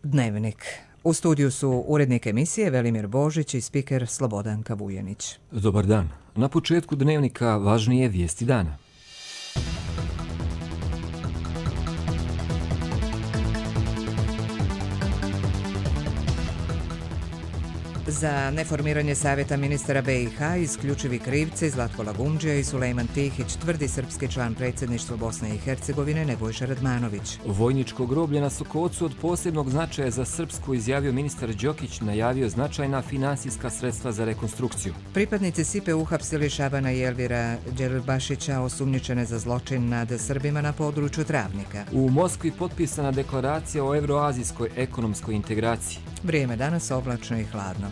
Dnevnik. U studiju su urednik emisije Velimir Božić i spiker Slobodanka Vujenić. Dobar dan. Na početku Dnevnika važnije vijesti dana. Za neformiranje Savjeta ministara BiH isključivi krivci Zlatko Lagumdžija i Sulejman Tihić, tvrdi srpski član predsjedništva Bosne i Hercegovine Nebojša Radmanović. Vojničko groblje na Sokocu od posebnog značaja za Srpsku, izjavio ministar Đokić, najavio značajna finansijska sredstva za rekonstrukciju. Pripadnici SIPE uhapsili Šabana i Elvira Đelbašića, osumnjičene za zločin nad Srbima na području Travnika. U Moskvi potpisana deklaracija o evroazijskoj ekonomskoj integraciji. Vrijeme danas oblačno i hladno.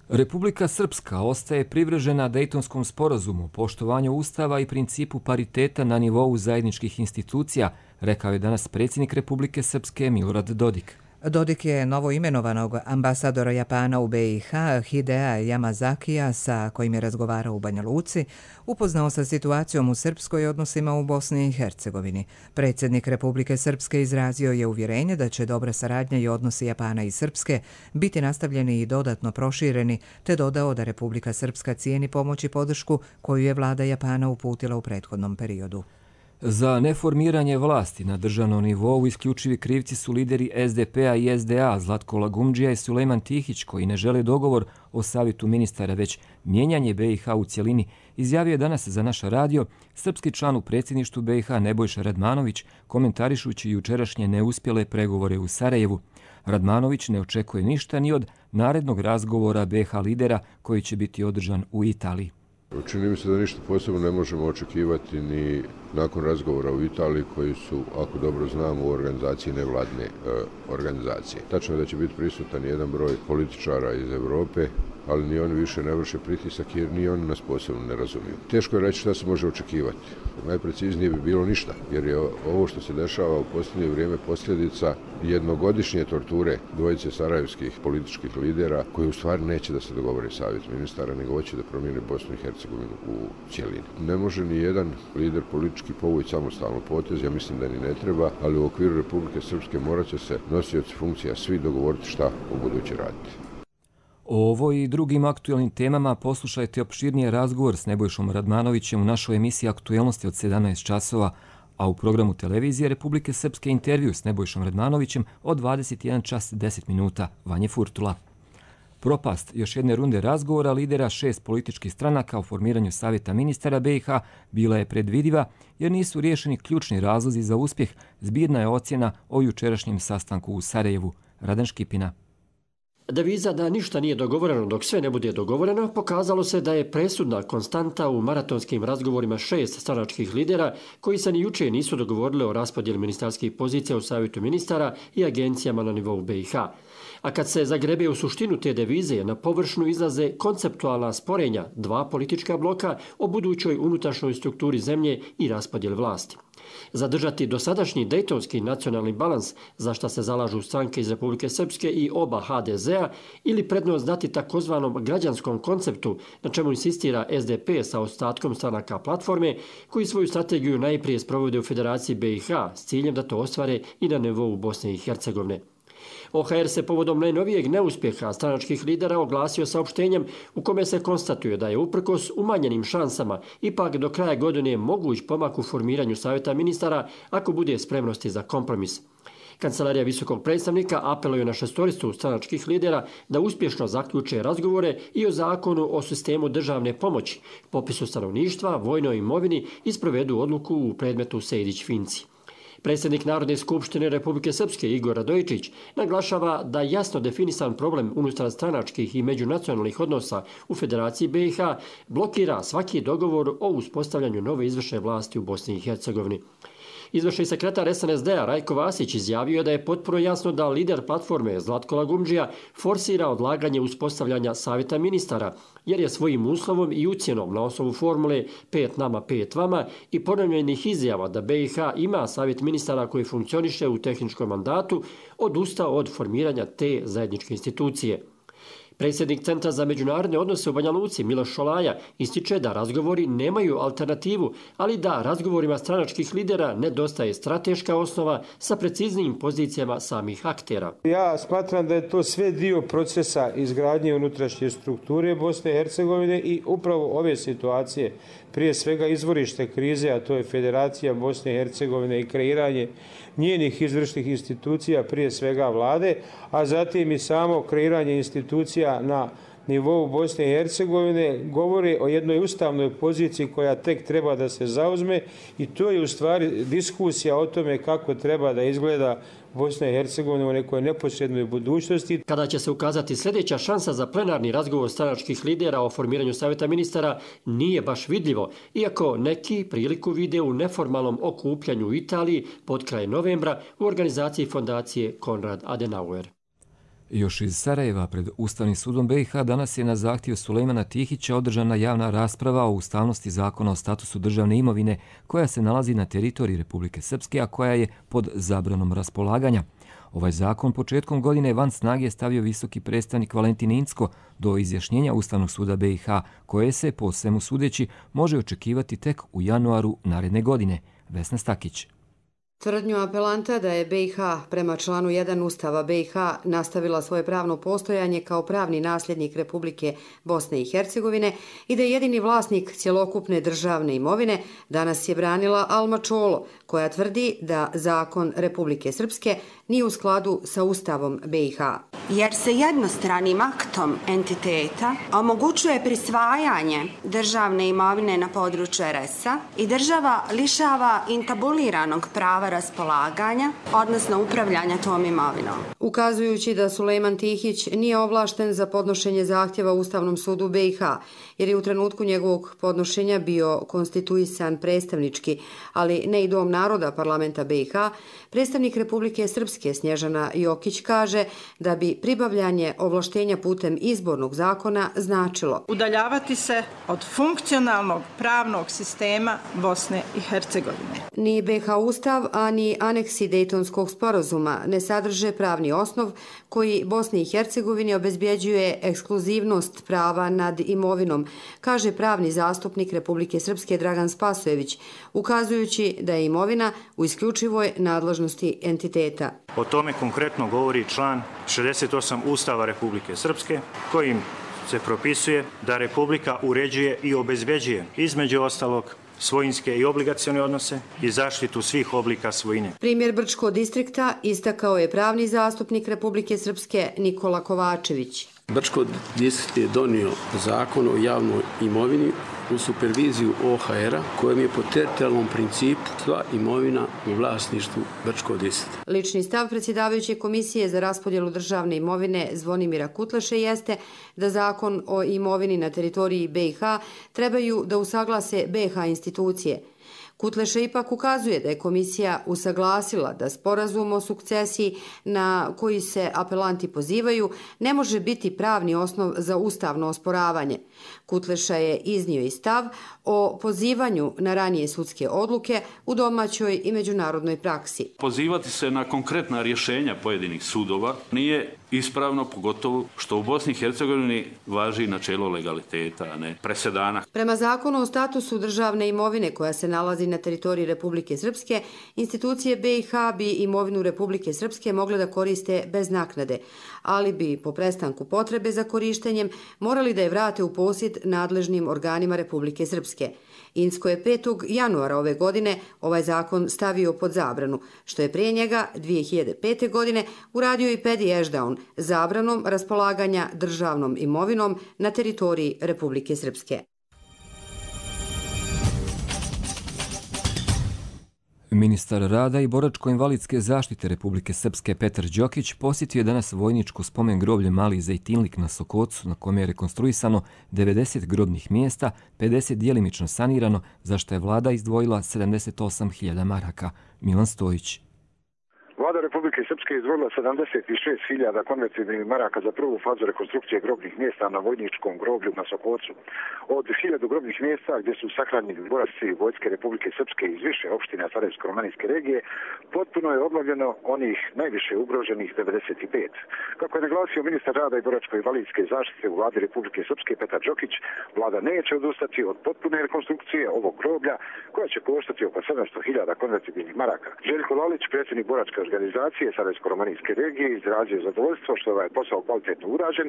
Republika Srpska ostaje privržena Dejtonskom sporazumu, poštovanju Ustava i principu pariteta na nivou zajedničkih institucija, rekao je danas predsjednik Republike Srpske Milorad Dodik. Dodik je novoimenovanog ambasadora Japana u BiH Hidea Yamazakija, sa kojim je razgovarao u Banja Luci, upoznao sa situacijom u srpskoj odnosima u Bosni i Hercegovini. Predsjednik Republike Srpske izrazio je uvjerenje da će dobra saradnja i odnosi Japana i Srpske biti nastavljeni i dodatno prošireni, te dodao da Republika Srpska cijeni pomoć i podršku koju je vlada Japana uputila u prethodnom periodu. Za neformiranje vlasti na državnom nivou isključivi krivci su lideri SDP-a i SDA Zlatko Lagumdžija i Sulejman Tihić, koji ne žele dogovor o savjetu ministara, već mijenjanje BiH u cjelini, izjavio je danas za naš radio srpski član u predsjedništvu BiH Nebojša Radmanović, komentarišući jučerašnje neuspjele pregovore u Sarajevu. Radmanović ne očekuje ništa ni od narednog razgovora BiH lidera koji će biti održan u Italiji. Čini mi se da ništa posebno ne možemo očekivati ni nakon razgovora u Italiji, koji su, ako dobro znamo, u organizaciji nevladne organizacije. Tačno je da će biti prisutan jedan broj političara iz Europe, ali ni oni više ne vrše pritisak jer ni oni nas posebno ne razumiju. Teško je reći šta se može očekivati. Najpreciznije bi bilo ništa, jer je ovo što se dešava u posljednje vrijeme posljedica jednogodišnje torture dvojice sarajevskih političkih lidera, koji u stvari neće da se dogovore savjet ministara, nego hoće da promijene Bosnu i Hercegovinu u cjelini. Ne može ni jedan lider politički povući samostalno potez, ja mislim da ni ne treba, ali u okviru Republike Srpske morat će se nosioci funkcija svi dogovoriti šta u buduće raditi. O ovoj i drugim aktualnim temama poslušajte opširniji razgovor s Nebojšom Radmanovićem u našoj emisiji Aktuelnosti od 17 časova, a u programu televizije Republike Srpske intervju s Nebojšom Radmanovićem od 21 čas 10 minuta. Vanje Furtula. Propast još jedne runde razgovora lidera 6 političkih stranaka o formiranju savjeta ministara BiH bila je predvidiva jer nisu riješeni ključni razlozi za uspjeh, zbirna je ocjena o jučerašnjem sastanku u Sarajevu. Radan Škipina. Deviza da ništa nije dogovoreno dok sve ne bude dogovoreno pokazalo se da je presudna konstanta u maratonskim razgovorima 6 stranačkih lidera koji se ni juče nisu dogovorili o raspodjeli ministarskih pozicija u savjetu ministara i agencijama na nivou BiH. A kad se zagrebe u suštinu te devize, na površnu izlaze konceptualna sporenja dva politička bloka o budućoj unutrašnjoj strukturi zemlje i raspodjeli vlasti. Zadržati dosadašnji dejtonski nacionalni balans, za šta se zalažu stranke iz Republike Srpske i oba HDZ-a, ili prednost dati takozvanom građanskom konceptu, na čemu insistira SDP sa ostatkom stranaka platforme, koji svoju strategiju najprije sprovode u Federaciji BiH s ciljem da to ostvare i na nivou Bosne i Hercegovine. OHR se povodom najnovijeg neuspjeha stranačkih lidera oglasio saopštenjem u kome se konstatuje da je uprkos umanjenim šansama ipak do kraja godine moguć pomak u formiranju savjeta ministara ako bude spremnosti za kompromis. Kancelarija visokog predstavnika apeluje na šestoricu stranačkih lidera da uspješno zaključe razgovore i o zakonu o sistemu državne pomoći, popisu stanovništva, vojnoj imovini i sprovedu odluku u predmetu Sejdić-Finci. Predsjednik Narodne skupštine Republike Srpske Igor Radojičić naglašava da jasno definisan problem unutar stranačkih i međunacionalnih odnosa u Federaciji BiH blokira svaki dogovor o uspostavljanju nove izvršne vlasti u Bosni i Hercegovini. Izvršni sekretar SNSD-a Rajko Vasić izjavio je da je potpuno jasno da lider platforme Zlatko Lagumdžija forsira odlaganje uspostavljanja savjeta ministara, jer je svojim uslovom i ucjenom na osnovu formule 5 nama, 5 vama i ponovljenih izjava da BiH ima savjet ministara koji funkcioniše u tehničkom mandatu, odustao od formiranja te zajedničke institucije. Predsjednik Centra za međunarodne odnose u Banja Luci, Miloš Šolaja, ističe da razgovori nemaju alternativu, ali da razgovorima stranačkih lidera nedostaje strateška osnova sa preciznijim pozicijama samih aktera. Ja smatram da je to sve dio procesa izgradnje unutrašnje strukture Bosne i Hercegovine i upravo ove situacije, prije svega izvorište krize, a to je Federacija Bosne i Hercegovine i kreiranje njenih izvršnih institucija, prije svega vlade, a zatim i samo kreiranje institucija na nivou Bosne i Hercegovine govori o jednoj ustavnoj poziciji koja tek treba da se zauzme i to je u stvari diskusija o tome kako treba da izgleda Bosna i Hercegovina u nekoj neposrednoj budućnosti. Kada će se ukazati sljedeća šansa za plenarni razgovor stranačkih lidera o formiranju savjeta ministara, nije baš vidljivo, iako neki priliku vide u neformalnom okupljanju u Italiji pod kraj novembra u organizaciji fondacije Konrad Adenauer. Još iz Sarajeva pred Ustavnim sudom BiH danas je na zahtjev Sulejmana Tihića održana javna rasprava o ustavnosti zakona o statusu državne imovine koja se nalazi na teritoriji Republike Srpske, a koja je pod zabranom raspolaganja. Ovaj zakon početkom godine van snage stavio visoki predstavnik Valentin Incko do izjašnjenja Ustavnog suda BiH, koje se, po svemu sudeći, može očekivati tek u januaru naredne godine. Vesna Stakić. Tvrdnju apelanta da je BiH prema članu 1 Ustava BiH nastavila svoje pravno postojanje kao pravni nasljednik Republike Bosne i Hercegovine i da je jedini vlasnik cjelokupne državne imovine, danas je branila Alma Čolo, koja tvrdi da zakon Republike Srpske nije u skladu sa Ustavom BiH. Jer se jednostranim aktom entiteta omogućuje prisvajanje državne imovine na području RS-a i država lišava intabuliranog prava raspolaganja, odnosno upravljanja tom imovinom. Ukazujući da Sulejman Tihić nije ovlašten za podnošenje zahtjeva Ustavnom sudu BiH, jer je u trenutku njegovog podnošenja bio konstituisan predstavnički, ali ne i Dom naroda parlamenta BiH, predstavnik Republike Srpske Snježana Jokić kaže da bi pribavljanje ovlaštenja putem izbornog zakona značilo udaljavati se od funkcionalnog pravnog sistema Bosne i Hercegovine. Ni BiH Ustav, a ni aneksi Dejtonskog sporazuma ne sadrže pravni osnov koji Bosni i Hercegovini obezbjeđuje ekskluzivnost prava nad imovinom, kaže pravni zastupnik Republike Srpske Dragan Spasojević, ukazujući da je imovina u isključivoj nadležnosti entiteta. O tome konkretno govori član 68 Ustava Republike Srpske, kojim se propisuje da Republika uređuje i obezbeđuje, između ostalog, svojinske i obligacione odnose i zaštitu svih oblika svojine. Primjer Brčko distrikta istakao je pravni zastupnik Republike Srpske Nikola Kovačević. Brčko distrikt je donio zakon o javnoj imovini u superviziju OHR-a, kojem je po teritorijalnom principu sva imovina u vlasništvu Brčko distrikta. Lični stav predsjedavajuće komisije za raspodjelu državne imovine Zvonimira Kutleše jeste da zakon o imovini na teritoriji BiH trebaju da usaglase BiH institucije. Kutleše ipak ukazuje da je komisija usaglasila da sporazum o sukcesiji na koji se apelanti pozivaju ne može biti pravni osnov za ustavno osporavanje. Kutleša je iznio i stav o pozivanju na ranije sudske odluke u domaćoj i međunarodnoj praksi. Pozivati se na konkretna rješenja pojedinih sudova nije ispravno, pogotovo što u Bosni i Hercegovini važi načelo legaliteta, a ne presedana. Prema zakonu o statusu državne imovine koja se nalazi na teritoriji Republike Srpske, institucije BiH bi imovinu Republike Srpske mogle da koriste bez naknade, ali bi po prestanku potrebe za korištenjem morali da je vrate u posjed nadležnim organima Republike Srpske. Incko je 5. januara ove godine ovaj zakon stavio pod zabranu, što je prije njega 2005. godine uradio i Pedi Ešdaun zabranom raspolaganja državnom imovinom na teritoriji Republike Srpske. Ministar rada i boračko-invalidske zaštite Republike Srpske Petar Đokić posjetio je danas vojničko spomen groblje Mali Zejtinlik na Sokocu, na kome je rekonstruisano 90 grobnih mjesta, 50 djelimično sanirano, za što je vlada izdvojila 78.000 maraka. Milan Stojić. Vlada Republike Republike Srpske izdvojila 76.000 konvertibilnih maraka za prvu fazu rekonstrukcije grobnih mjesta na vojničkom groblju na Sokocu. Od 1000 grobnih mjesta gdje su sahranjeni boraci vojske Republike Srpske iz više opština Sarajevsko-romanijske regije, potpuno je obnovljeno onih najviše ugroženih 95. Kako je naglasio ministar rada i boračko-invalidske zaštite u vladi Republike Srpske Petar Đokić, vlada neće odustati od potpune rekonstrukcije ovog groblja koja će koštati oko 700.000 konvertibilnih maraka. Željko Lalić, predsjednik boračke organizacije Sarajevsko-romanijske regije, izrazio zadovoljstvo što je ovaj posao kvalitetno urađen,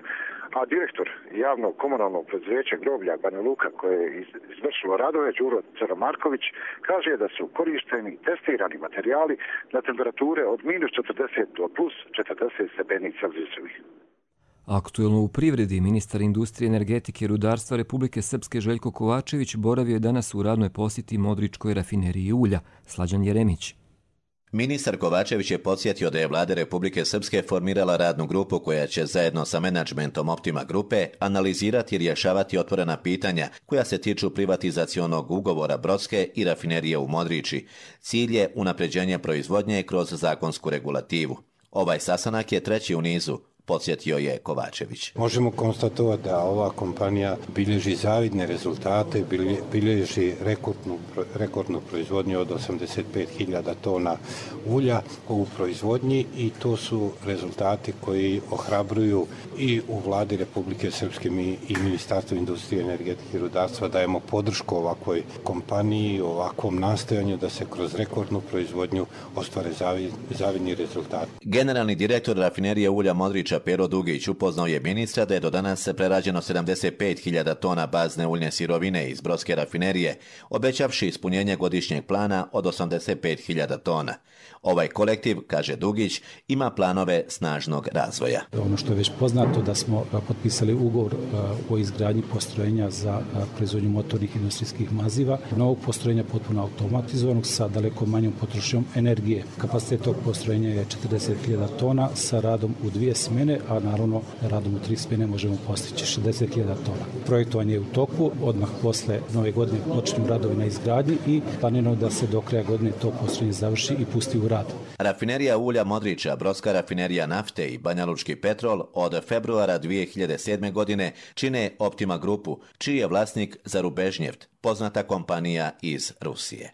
a direktor javnog komunalnog preduzeća groblja Banja Luka koje je izvršilo radove, Đuro Crnomarković, kaže da su korišteni testirani materijali na temperature od -40 do +40 stepeni Celzijusovih. Aktuelno u privredi, ministar industrije, energetike i rudarstva Republike Srpske Željko Kovačević boravio je danas u radnoj posjeti Modričkoj rafineriji ulja. Slađan Jeremić. Ministar Kovačević je podsjetio da je vlada Republike Srpske formirala radnu grupu koja će zajedno sa menadžmentom Optima grupe analizirati i rješavati otvorena pitanja koja se tiču privatizacionog ugovora Brodske i rafinerije u Modriči. Cilj je unapređenje proizvodnje kroz zakonsku regulativu. Ovaj sastanak je treći u nizu, podsjetio je Kovačević. Možemo konstatovati da ova kompanija bilježi zavidne rezultate, bilježi rekordnu proizvodnju od 85.000 tona ulja u proizvodnji i to su rezultati koji ohrabruju i u vladi Republike Srpske i Ministarstvu industrije, energetike i rudarstva dajemo podršku ovakvoj kompaniji, ovakvom nastojanju da se kroz rekordnu proizvodnju ostvare zavidni rezultati. Generalni direktor rafinerije ulja Modriča Pero Dugić upoznao je ministra da je do danas prerađeno 75.000 tona bazne uljne sirovine iz Brodske rafinerije, obećavši ispunjenje godišnjeg plana od 85.000 tona. Ovaj kolektiv, kaže Dugić, ima planove snažnog razvoja. Ono što je već poznato da smo potpisali ugovor o izgradnji postrojenja za proizvodnju motornih industrijskih maziva, novog postrojenja potpuno automatizovanog sa daleko manjom potrošnjom energije. Kapacitet tog postrojenja je 40.000 tona sa radom u 2 smjene, a naravno radom u 3 smjene možemo postići 60.000 tona. Projektovanje je u toku, odmah posle nove godine počinju radovi na izgradnji i planirano da se do kraja godine to postrojenje završi i pusti u rad. Rafinerija ulja Modriča, Brodska rafinerija nafte i Banjalučki petrol od februara 2007. godine čine Optima grupu, čiji je vlasnik Zarubežnjeft, poznata kompanija iz Rusije.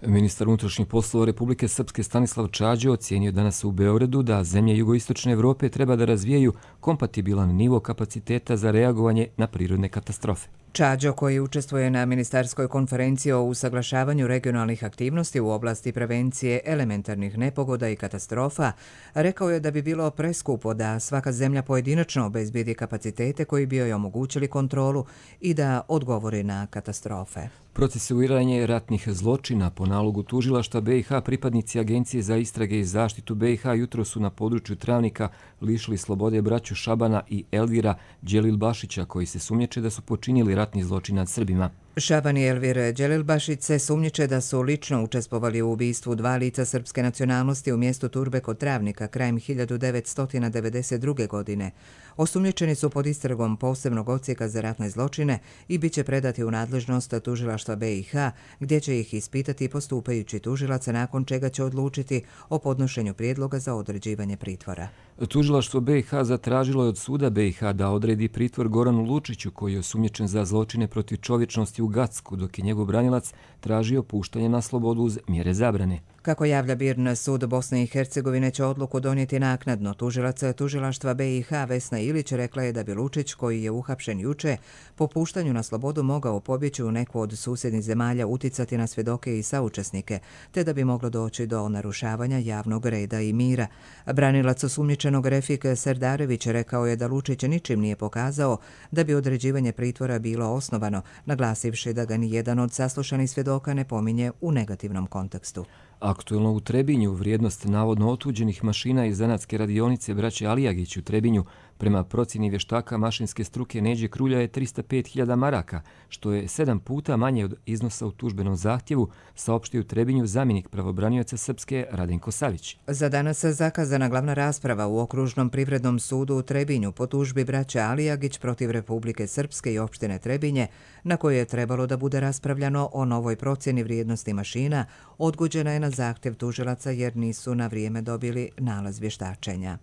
Ministar unutrašnjih poslova Republike Srpske Stanislav Čađo ocijenio danas u Beogradu da zemlje jugoistočne Evrope treba da razvijaju kompatibilan nivo kapaciteta za reagovanje na prirodne katastrofe. Čađo, koji učestvuje na ministarskoj konferenciji o usaglašavanju regionalnih aktivnosti u oblasti prevencije elementarnih nepogoda i katastrofa, rekao je da bi bilo preskupo da svaka zemlja pojedinačno obezbijedi kapacitete koji bi joj omogućili kontrolu i da odgovori na katastrofe. Procesuiranje ratnih zločina po nalogu tužilaštva BiH pripadnici Agencije za istrage i zaštitu BiH jutro su na području Travnika lišili slobode braću Šabana i Elvira Đelilbašića koji se sumnjiče da su počinili ratni zločin nad Srbima. Šaban i Elvir Đelilbašić se sumnjiče da su lično učestvovali u ubistvu 2 lica srpske nacionalnosti u mjestu Turbe kod Travnika krajem 1992. godine. Osumnjičeni su pod istragom posebnog odsjeka za ratne zločine i bit će predati u nadležnost tužilaštva BiH, gdje će ih ispitati postupajući tužilaca, nakon čega će odlučiti o podnošenju prijedloga za određivanje pritvora. Tužilaštvo BiH zatražilo je od suda BiH da odredi pritvor Goranu Lučiću, koji je osumnjičen za zločine protiv čovječnosti u Gacku, dok je njegov branilac tražio puštanje na slobodu uz mjere zabrane. Kako javlja BIRN, sud Bosne i Hercegovine će odluku donijeti naknadno. Tužilac tužilaštva BiH Vesna Ilić rekla je da bi Lučić, koji je uhapšen juče, po puštanju na slobodu mogao pobjeći u neku od susjednih zemalja, uticati na svjedoke i saučesnike, te da bi moglo doći do narušavanja javnog reda i mira. Branilac osumnjičenog Refik Serdarević rekao je da Lučić ničim nije pokazao da bi određivanje pritvora bilo osnovano, naglasivši da ga ni jedan od saslušanih svjedoka ne pominje u negativnom kontekstu. Aktuelno u Trebinju vrijednost navodno otuđenih mašina iz zanatske radionice braće Alijagić u Trebinju Prema procjeni vještaka mašinske struke Neđe Krulja je 305.000 maraka, što je 7 puta manje od iznosa u tužbenom zahtjevu, saopštio u Trebinju zamjenik pravobranioca Srpske Radenko Savić. Za danas je zakazana glavna rasprava u Okružnom privrednom sudu u Trebinju po tužbi braće Alijagić protiv Republike Srpske i opštine Trebinje, na kojoj je trebalo da bude raspravljano o novoj procjeni vrijednosti mašina, odgođena je na zahtjev tužilaca jer nisu na vrijeme dobili nalaz vještačenja.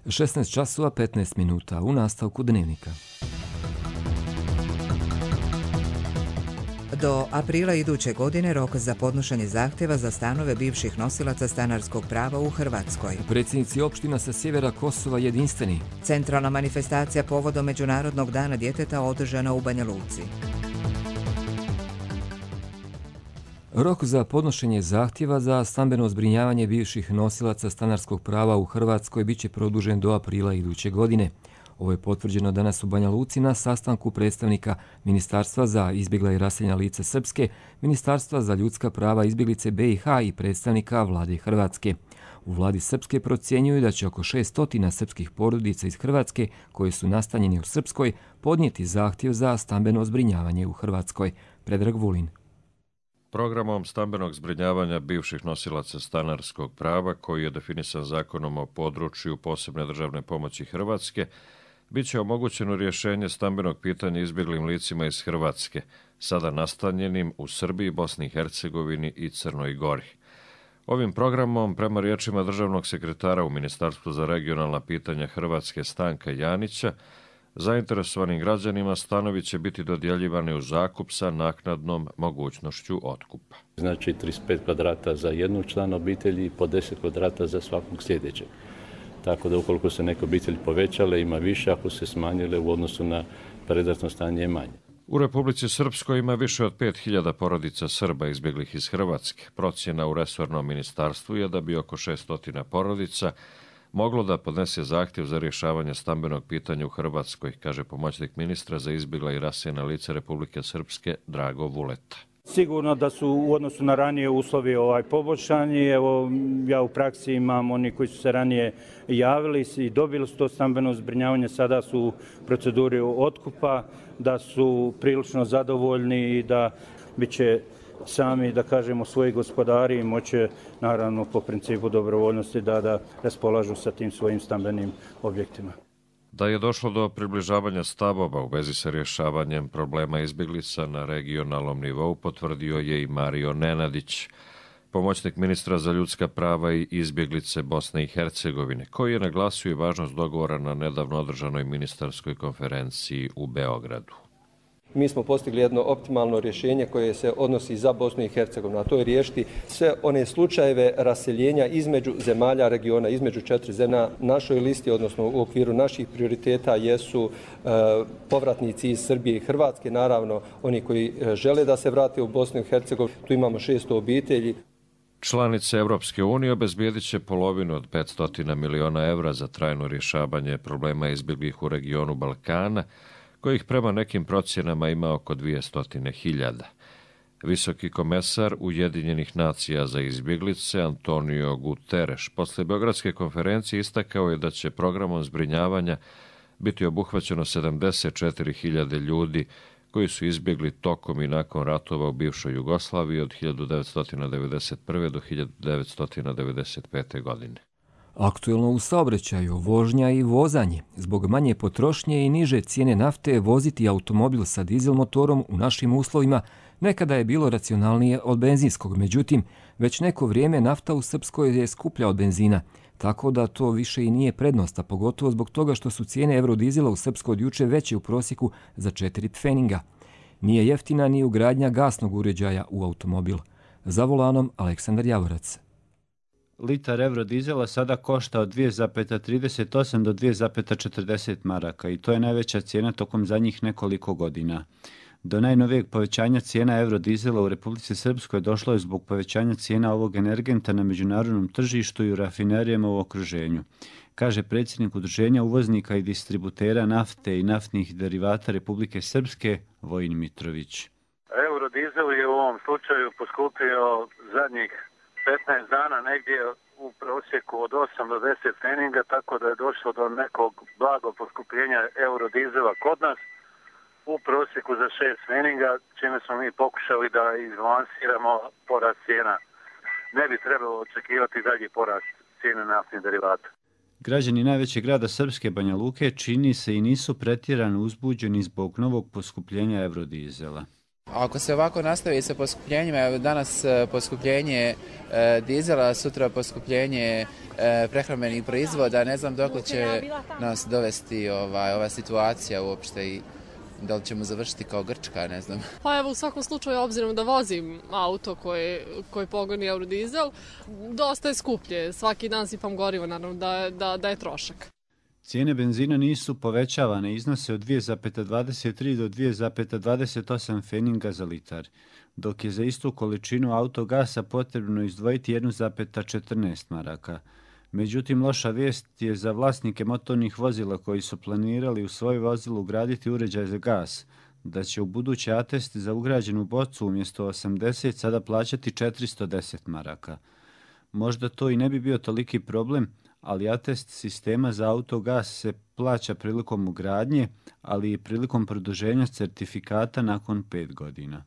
16 časova 15 minuta u nastavku Dnevnika. Do aprila iduće godine rok za podnošenje zahtjeva za stanove bivših nosilaca stanarskog prava u Hrvatskoj. Predsjednici opština sa sjevera Kosova jedinstveni. Centralna manifestacija povodom Međunarodnog dana djeteta održana u Banja Luci. Rok za podnošenje zahtjeva za stambeno zbrinjavanje bivših nosilaca stanarskog prava u Hrvatskoj biće produžen do aprila iduće godine. Ovo je potvrđeno danas u Banja Luci na sastanku predstavnika Ministarstva za izbjegla i raseljena lica Srpske, Ministarstva za ljudska prava izbjeglice BiH i predstavnika Vlade Hrvatske. U Vladi Srpske procjenjuju da će oko 600 srpskih porodica iz Hrvatske koji su nastanjeni u Srpskoj podnijeti zahtjev za stambeno zbrinjavanje u Hrvatskoj. Predrag Vulin. Programom stambenog zbrinjavanja bivših nosilaca stanarskog prava, koji je definisan zakonom o području posebne državne pomoći Hrvatske, bit će omogućeno rješenje stambenog pitanja izbjeglim licima iz Hrvatske, sada nastanjenim u Srbiji, Bosni i Hercegovini i Crnoj Gori. Ovim programom, prema riječima državnog sekretara u Ministarstvu za regionalna pitanja Hrvatske Stanka Janića, zainteresovanim građanima stanovi će biti dodjeljivani u zakup sa naknadnom mogućnošću otkupa. Znači 35 kvadrata za jednog člana obitelji i po 10 kvadrata za svakog sljedećeg. Tako da ukoliko se neke obitelji povećale, ima više, ako se smanjile u odnosu na predratno stanje je manje. U Republici Srpskoj ima više od 5000 porodica Srba izbjeglih iz Hrvatske. Procjena u resornom ministarstvu je da bi oko 600 porodica moglo da podnese zahtjev za rješavanje stambenog pitanja u Hrvatskoj, kaže pomoćnik ministra za izbjegla i raseljena lica Republike Srpske Drago Vuleta. Sigurno da su u odnosu na ranije uslovi poboljšani. Evo, ja u praksi imam oni koji su se ranije javili i dobili su to stambeno zbrinjavanje, sada su u proceduri otkupa, da su prilično zadovoljni i da bit će sami, da kažemo, svoji gospodari i moće, naravno, po principu dobrovoljnosti da raspolažu sa tim svojim stambenim objektima. Da je došlo do približavanja stavova u vezi sa rješavanjem problema izbjeglica na regionalnom nivou, potvrdio je i Mario Nenadić, pomoćnik ministra za ljudska prava i izbjeglice Bosne i Hercegovine, koji je naglasio i važnost dogovora na nedavno održanoj ministarskoj konferenciji u Beogradu. Mi smo postigli jedno optimalno rješenje koje se odnosi za Bosnu i Hercegovinu, a to je riješiti sve one slučajeve raseljenja između zemalja regiona, između 4 zemlje. Na našoj listi, odnosno u okviru naših prioriteta, jesu povratnici iz Srbije i Hrvatske, naravno oni koji žele da se vrate u Bosnu i Hercegovinu. Tu imamo 600 obitelji. Članice Europske unije obezbijedit će polovinu od 500 miliona evra za trajno rješavanje problema izbjeglih u regionu Balkana, kojih prema nekim procjenama ima oko 200.000. Visoki komesar Ujedinjenih nacija za izbjeglice Antonio Guterres posle Beogradske konferencije istakao je da će programom zbrinjavanja biti obuhvaćeno 74.000 ljudi koji su izbjegli tokom i nakon ratova u bivšoj Jugoslaviji od 1991. do 1995. godine. Aktuelno u saobraćaju, vožnja i vozanje. Zbog manje potrošnje i niže cijene nafte voziti automobil sa dizel motorom u našim uslovima nekada je bilo racionalnije od benzinskog. Međutim, već neko vrijeme nafta u Srpskoj je skuplja od benzina, tako da to više i nije prednost, a pogotovo zbog toga što su cijene eurodizela u Srpskoj od juče veće u prosjeku za 4 pfeninga. Nije jeftina ni ugradnja gasnog uređaja u automobil. Za volanom Aleksandar Javorac. Litar eurodizela sada košta od 2,38 do 2,40 maraka i to je najveća cijena tokom zadnjih nekoliko godina. Do najnovijeg povećanja cijena eurodizela u Republici Srpskoj došlo je zbog povećanja cijena ovog energenta na međunarodnom tržištu i u rafinerijama u okruženju, kaže predsjednik Udruženja uvoznika i distributera nafte i naftnih derivata Republike Srpske Vojin Mitrović. Eurodizel je u ovom slučaju poskupio zadnjih 15 dana negdje u prosjeku od 8 do 10 pfeninga, tako da je došlo do nekog blagog poskupljenja eurodizela kod nas u prosjeku za 6 pfeninga, čime smo mi pokušali da izbalansiramo porast cijena. Ne bi trebalo očekivati dalji porast cijene naftnih derivata. Građani najvećeg grada Srpske, Banja Luke, čini se i nisu pretjerano uzbuđeni zbog novog poskupljenja eurodizela. Ako se ovako nastavi sa poskupljenjima, danas poskupljenje dizela, sutra poskupljenje prehrambenih proizvoda, ne znam dok će nas dovesti ova situacija uopšte i da li ćemo završiti kao Grčka, ne znam. Pa evo, u svakom slučaju, obzirom da vozim auto koji pogoni eurodizel, dosta je skuplje. Svaki dan sipam gorivo, naravno da je trošak. Cijene benzina nisu povećavane, iznose od 2,23 do 2,28 pfeninga za litar, dok je za istu količinu autogasa potrebno izdvojiti 1,14 maraka. Međutim, loša vijest je za vlasnike motornih vozila koji su planirali u svoje vozilo ugraditi uređaj za gas, da će u buduće atest za ugrađenu bocu umjesto 80 sada plaćati 410 maraka. Možda to i ne bi bio toliki problem, ali atest sistema za autogas se plaća prilikom ugradnje, ali i prilikom produženja certifikata nakon 5 godina.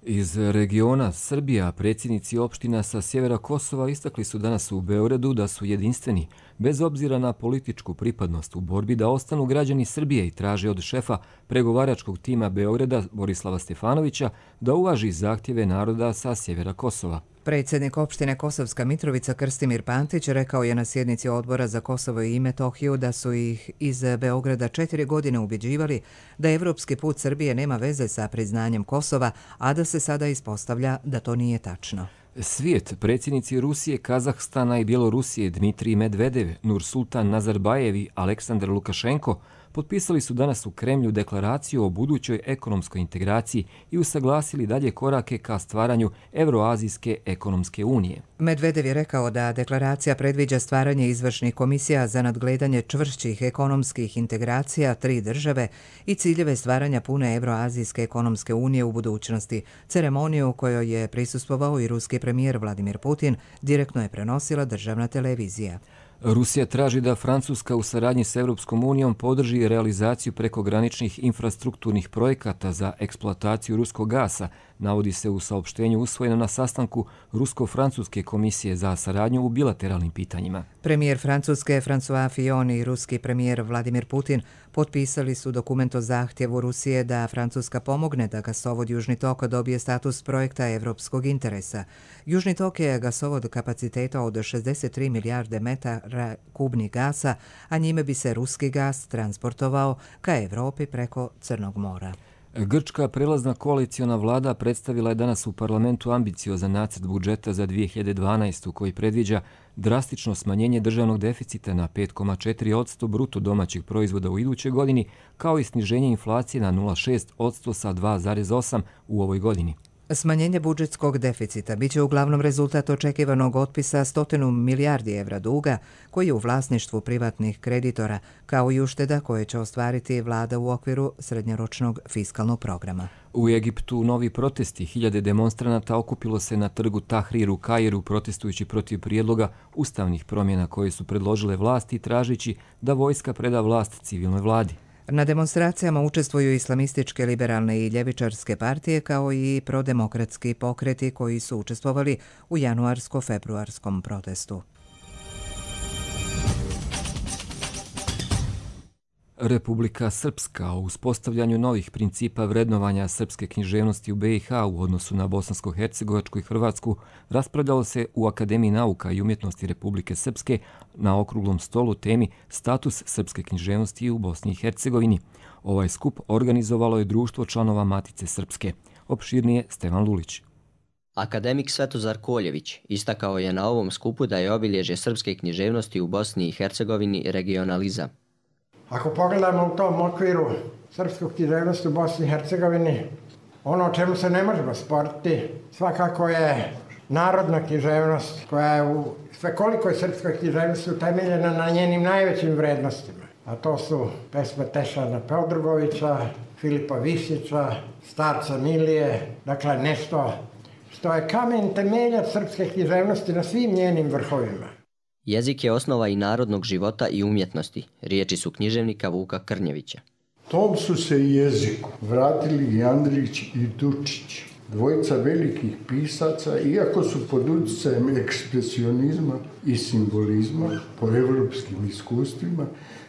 Iz regiona Srbija predsjednici opština sa sjevera Kosova istakli su danas u Beogradu da su jedinstveni, bez obzira na političku pripadnost u borbi da ostanu građani Srbije i traže od šefa pregovaračkog tima Beograda Borislava Stefanovića da uvaži zahtjeve naroda sa sjevera Kosova. Predsjednik opštine Kosovska Mitrovica Krstimir Pantić rekao je na sjednici Odbora za Kosovo i Metohiju da su ih iz Beograda 4 godine ubjeđivali da evropski put Srbije nema veze sa priznanjem Kosova, a da se sada ispostavlja da to nije tačno. Svijet, predsjednici Rusije, Kazahstana i Bjelorusije Dmitrij Medvedev, Nursultan Nazarbajev i Aleksandar Lukašenko potpisali su danas u Kremlju deklaraciju o budućoj ekonomskoj integraciji i usaglasili dalje korake ka stvaranju Evroazijske ekonomske unije. Medvedev je rekao da deklaracija predviđa stvaranje izvršnih komisija za nadgledanje čvršćih ekonomskih integracija 3 države i ciljeve stvaranja pune Evroazijske ekonomske unije u budućnosti. Ceremoniju u kojoj je prisustvovao i ruski premijer Vladimir Putin direktno je prenosila državna televizija. Rusija traži da Francuska u saradnji s Europskom unijom podrži realizaciju prekograničnih infrastrukturnih projekata za eksploataciju ruskog gasa, navodi se u saopštenju usvojeno na sastanku Rusko-Francuske komisije za saradnju u bilateralnim pitanjima. Premijer Francuske François Fillon i ruski premijer Vladimir Putin potpisali su dokument o zahtjevu Rusije da Francuska pomogne da gasovod Južni tok dobije status projekta evropskog interesa. Južni tok je gasovod kapaciteta od 63 milijarde metara kubnih gasa, a njime bi se ruski gas transportovao ka Evropi preko Crnog mora. Grčka prelazna koaliciona vlada predstavila je danas u parlamentu ambiciozan nacrt budžeta za 2012. koji predviđa drastično smanjenje državnog deficita na 5,4% bruto domaćeg proizvoda u idućoj godini, kao i sniženje inflacije na 0,6% sa 2,8% u ovoj godini. Smanjenje budžetskog deficita biće uglavnom rezultat očekivanog otpisa 100 milijardi evra duga koji je u vlasništvu privatnih kreditora, kao i ušteda koje će ostvariti vlada u okviru srednjoročnog fiskalnog programa. U Egiptu novi protesti, 1000 demonstranata okupilo se na trgu Tahrir u Kairu protestujući protiv prijedloga ustavnih promjena koje su predložile vlasti tražeći da vojska preda vlast civilnoj vladi. Na demonstracijama učestvuju islamističke, liberalne i ljevičarske partije kao i prodemokratski pokreti koji su učestvovali u januarsko-februarskom protestu. Republika Srpska o uspostavljanju novih principa vrednovanja srpske književnosti u BiH u odnosu na Bosansko-Hercegovačku i Hrvatsku raspravljalo se u Akademiji nauka i umjetnosti Republike Srpske na okruglom stolu temi Status srpske književnosti u Bosni i Hercegovini. Ovaj skup organizovalo je društvo članova Matice Srpske. Opširnije Stevan Lulić. Akademik Svetozar Koljević istakao je na ovom skupu da je obilježje srpske književnosti u Bosni i Hercegovini regionalizam. Ako pogledamo u tom okviru srpsku književnost u Bosni i Hercegovini, ono o čemu se ne možemo sporiti svakako je narodna književnost koja je u svekolikoj srpskoj književnosti utemeljena na njenim najvećim vrednostima. A to su pesme Tešana Peodrugovića, Filipa Visića, Starca Milije, dakle nešto što je kamen temeljac srpske književnosti na svim njenim vrhovima. Jezik je osnova i narodnog života i umjetnosti. Riječi su književnika Vuka Krnjevića. Tom su se i jeziku vratili i Andrić i Dučić, dvojica velikih pisaca, iako su pod utjecajem ekspresionizma i simbolizma po evropskim iskustvima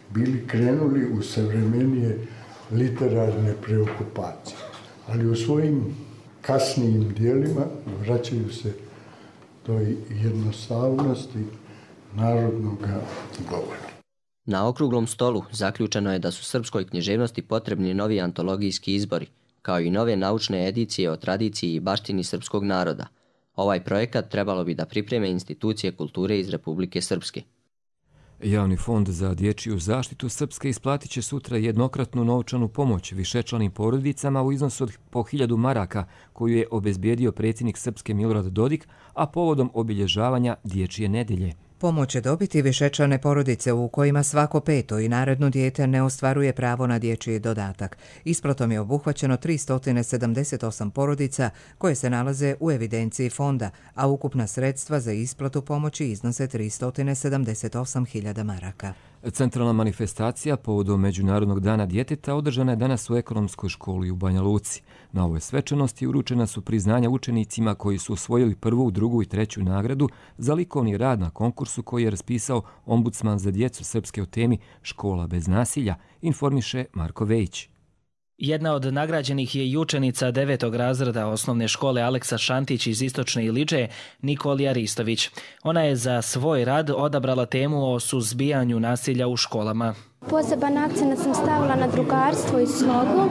bili krenuli u savremenije literarne preokupacije. Ali u svojim kasnijim dijelima vraćaju se toj jednostavnosti narodnog govora. Na okruglom stolu zaključeno je da su srpskoj književnosti potrebni novi antologijski izbori, kao i nove naučne edicije o tradiciji i baštini srpskog naroda. Ovaj projekat trebalo bi da pripreme institucije kulture iz Republike Srpske. Javni fond za dječju zaštitu Srpske isplatit će sutra jednokratnu novčanu pomoć višečlanim porodicama u iznosu od po 1000 maraka, koju je obezbijedio predsjednik Srpske Milorad Dodik, a povodom obilježavanja Dječje nedelje. Pomoć će dobiti višečlane porodice u kojima svako peto i naredno dijete ne ostvaruje pravo na dječji dodatak. Isplatom je obuhvaćeno 378 porodica koje se nalaze u evidenciji fonda, a ukupna sredstva za isplatu pomoći iznose 378.000 maraka. Centralna manifestacija povodom Međunarodnog dana djeteta održana je danas u Ekonomskoj školi u Banja Luci. Na ovoj svečanosti uručena su priznanja učenicima koji su osvojili 1., 2. i 3. nagradu za likovni rad na konkursu koji je raspisao ombudsman za djecu Srpske o temi Škola bez nasilja, informiše Marko Vejić. Jedna od nagrađenih je i učenica 9. razreda osnovne škole Aleksa Šantić iz Istočne Iliđe, Nikolija Ristović. Ona je za svoj rad odabrala temu o suzbijanju nasilja u školama. Poseban akcent sam stavila na drugarstvo i slogu.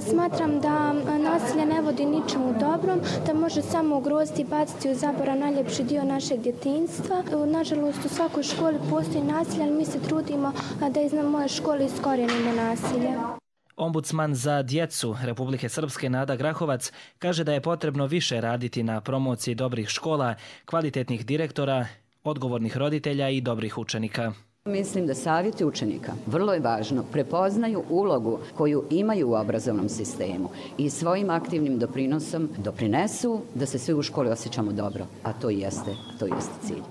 Smatram da nasilje ne vodi ničemu dobrom, da može samo ugroziti i baciti u zaborav najljepši dio našeg djetinjstva. Nažalost, u svakoj školi postoji nasilje, ali mi se trudimo da iz moje škole iskorijenimo nasilje. Ombudsman za djecu Republike Srpske Nada Grahovac kaže da je potrebno više raditi na promociji dobrih škola, kvalitetnih direktora, odgovornih roditelja i dobrih učenika. Mislim da savjeti učenika, vrlo je važno, prepoznaju ulogu koju imaju u obrazovnom sistemu i svojim aktivnim doprinosom doprinesu da se svi u školi osjećamo dobro, a to jeste cilj.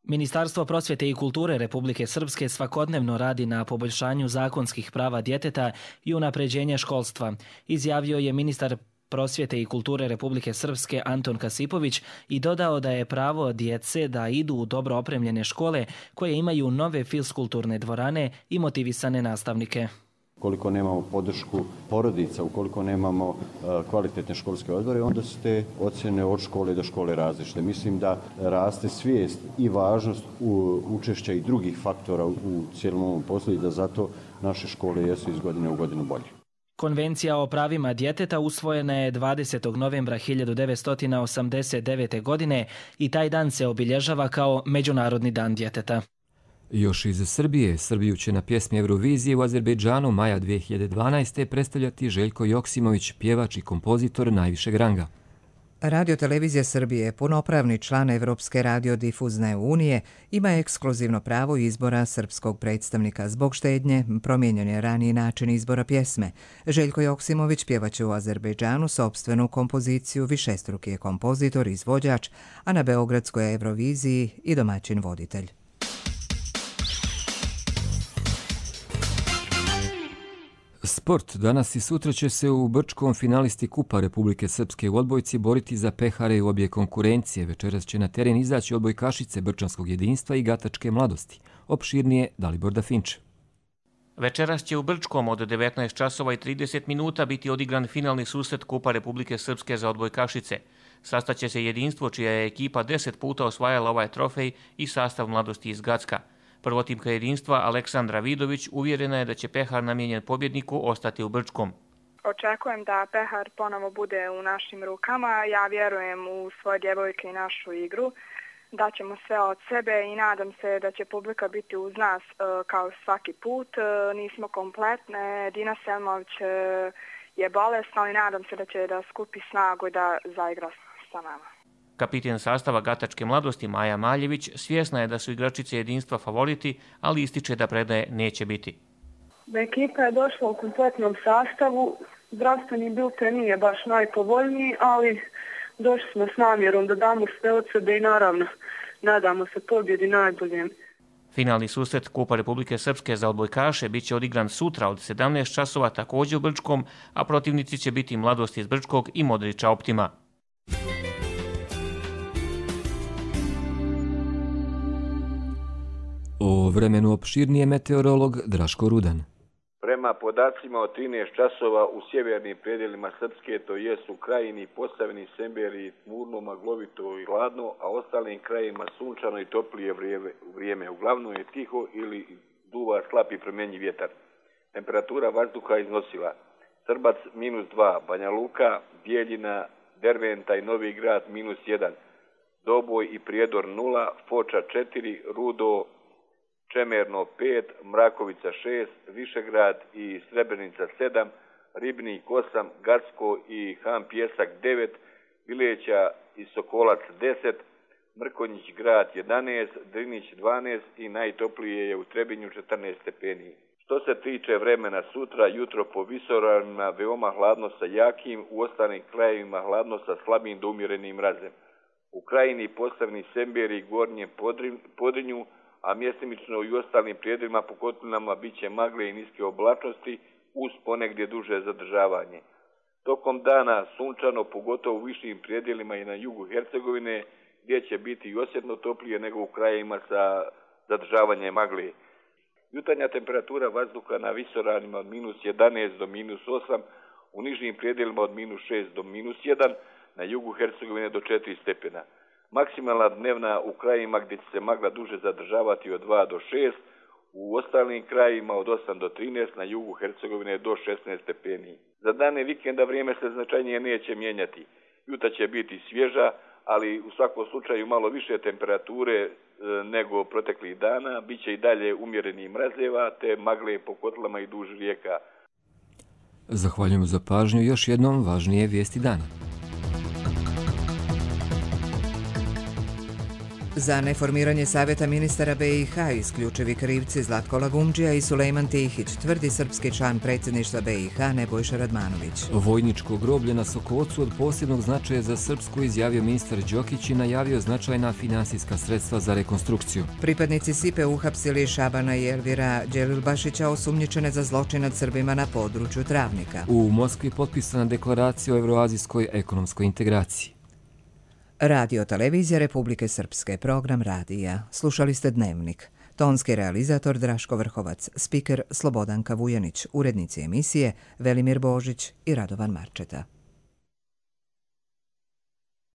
Ministarstvo prosvjete i kulture Republike Srpske svakodnevno radi na poboljšanju zakonskih prava djeteta i unapređenja školstva, izjavio je ministar prosvjete i kulture Republike Srpske Anton Kasipović i dodao da je pravo djece da idu u dobro opremljene škole koje imaju nove fiskulturne dvorane i motivisane nastavnike. Ukoliko nemamo podršku porodica, ukoliko nemamo kvalitetne školske odbore, onda su te ocjene od škole do škole različite. Mislim da raste svijest i važnost učešća i drugih faktora u cijelom ovom poslu i da zato naše škole jesu iz godine u godinu bolje. Konvencija o pravima djeteta usvojena je 20. novembra 1989. godine i taj dan se obilježava kao Međunarodni dan djeteta. Još iz Srbije, Srbiju će na pjesmi Eurovizije u Azerbejdžanu maja 2012. predstavljati Željko Joksimović, pjevač i kompozitor najvišeg ranga. Radio-televizija Srbije, punopravni član Evropske radiodifuzne unije, ima ekskluzivno pravo izbora srpskog predstavnika. Zbog štednje promijenjen je raniji način izbora pjesme. Željko Joksimović pjevaće u Azerbejdžanu sopstvenu kompoziciju, višestruki je kompozitor, izvođač, a na Beogradskoj Euroviziji i domaćin voditelj. Sport. Danas i sutra će se u Brčkom finalisti Kupa Republike Srpske u odbojci boriti za pehare u obje konkurencije. Večeras će na teren izaći odbojkašice Brčanskog jedinstva i Gatačke mladosti. Opširnije Dalibor Dafinč. Večeras će u Brčkom od 19 časova i 30 minuta biti odigran finalni susret Kupa Republike Srpske za odbojkašice. Sastaće se jedinstvo čija je ekipa 10 puta osvajala ovaj trofej i sastav mladosti iz Gacka. Prvotimka jedinstva Aleksandra Vidović uvjerena je da će pehar namijenjen pobjedniku ostati u Brčkom. Očekujem da pehar ponovo bude u našim rukama. Ja vjerujem u svoje djevojke i našu igru. Daćemo sve od sebe i nadam se da će publika biti uz nas kao svaki put. Nismo kompletne. Dina Selmović je bolesna, ali nadam se da će da skupi snagu i da zaigra sa nama. Kapiten sastava Gatačke mladosti Maja Maljević svjesna je da su igračice jedinstva favoriti, ali ističe da predaje neće biti. Ekipa je došla u kompletnom sastavu. Zdravstveni bilten nije baš najpovoljniji, ali Došli smo s namjerom da damo sve od sebe i naravno nadamo se pobjedi najboljem. Finalni susret Kupa Republike Srpske za odbojkaše biće odigran sutra od 17 časova također u Brčkom, a protivnici će biti Mladost iz Brčkog i Modrića Optima. O vremenu opširnije meteorolog Draško Rudan. Prema podacima od 13 časova u sjevernim predjelima Srpske, to jesu Krajini, Posavini, Semberiji, tmurno, maglovito i hladno, a ostalim krajima sunčano i toplije vrijeme. Uglavnom je tiho ili duva slab i promjenjiv vjetar. Temperatura vazduha iznosila Srbac -2, Banja Luka, Bijeljina, Derventa i Novi Grad -1, Doboj i Prijedor 0, Foča 4, Rudo, Čemerno 5, Mrakovica 6, Višegrad i Srebrenica 7, Ribnik 8, Gacko i Han Pjesak 9, Vileća i Sokolac 10, Mrkonjić Grad 11, Drinić 12 i najtoplije je u Trebinju 14 stepeni. Što se tiče vremena sutra, jutro po visoravnima veoma hladno sa jakim, u ostalim krajevima hladno sa slabim do umjerenim mrazem. U Krajini, Posavini, Semberiji, Gornjem Podrinju, a mjestimično i u ostalim prijedjelima po kotlinama bit će magle i niske oblačnosti uz ponegdje duže zadržavanje. Tokom dana sunčano, pogotovo u višim prijedjelima i na jugu Hercegovine, gdje će biti i osjetno toplije nego u krajevima sa zadržavanjem magle. Jutarnja temperatura vazduha na visoravnima od -11 do -8, u nižim prijedjelima od -6 do -1, na jugu Hercegovine do 4 stepena. Maksimalna dnevna u krajima gdje će se magla duže zadržavati od 2 do 6, u ostalim krajima od 8 do 13, na jugu Hercegovine do 16 stepeni. Za dane vikenda vrijeme se značajnije neće mijenjati. Jutra će biti svježa, ali u svakom slučaju malo više temperature nego proteklih dana. Biće i dalje umjerenih mrazeva te magle po kotlama i duž rijeka. Zahvaljujemo za pažnju. Još jednom važnije vijesti dana. Za neformiranje Savjeta ministara BiH isključivi krivci Zlatko Lagumdžija i Sulejman Tihić, tvrdi srpski član predsjedništva BiH Nebojša Radmanović. Vojničko groblje na Sokocu od posebnog značaja za Srpsku izjavio ministar Đokić i najavio značajna finansijska sredstva za rekonstrukciju. Pripadnici SIPE uhapsili Šabana i Elvira Đelilbašića osumnjičene za zločin nad Srbima na području Travnika. U Moskvi potpisana deklaracija o evroazijskoj ekonomskoj integraciji. Radio televizija Republike Srpske, program radija. Slušali ste Dnevnik. Tonski realizator Draško Vrhovac, spiker Slobodanka Vujanić, urednici emisije Velimir Božić i Radovan Marčeta.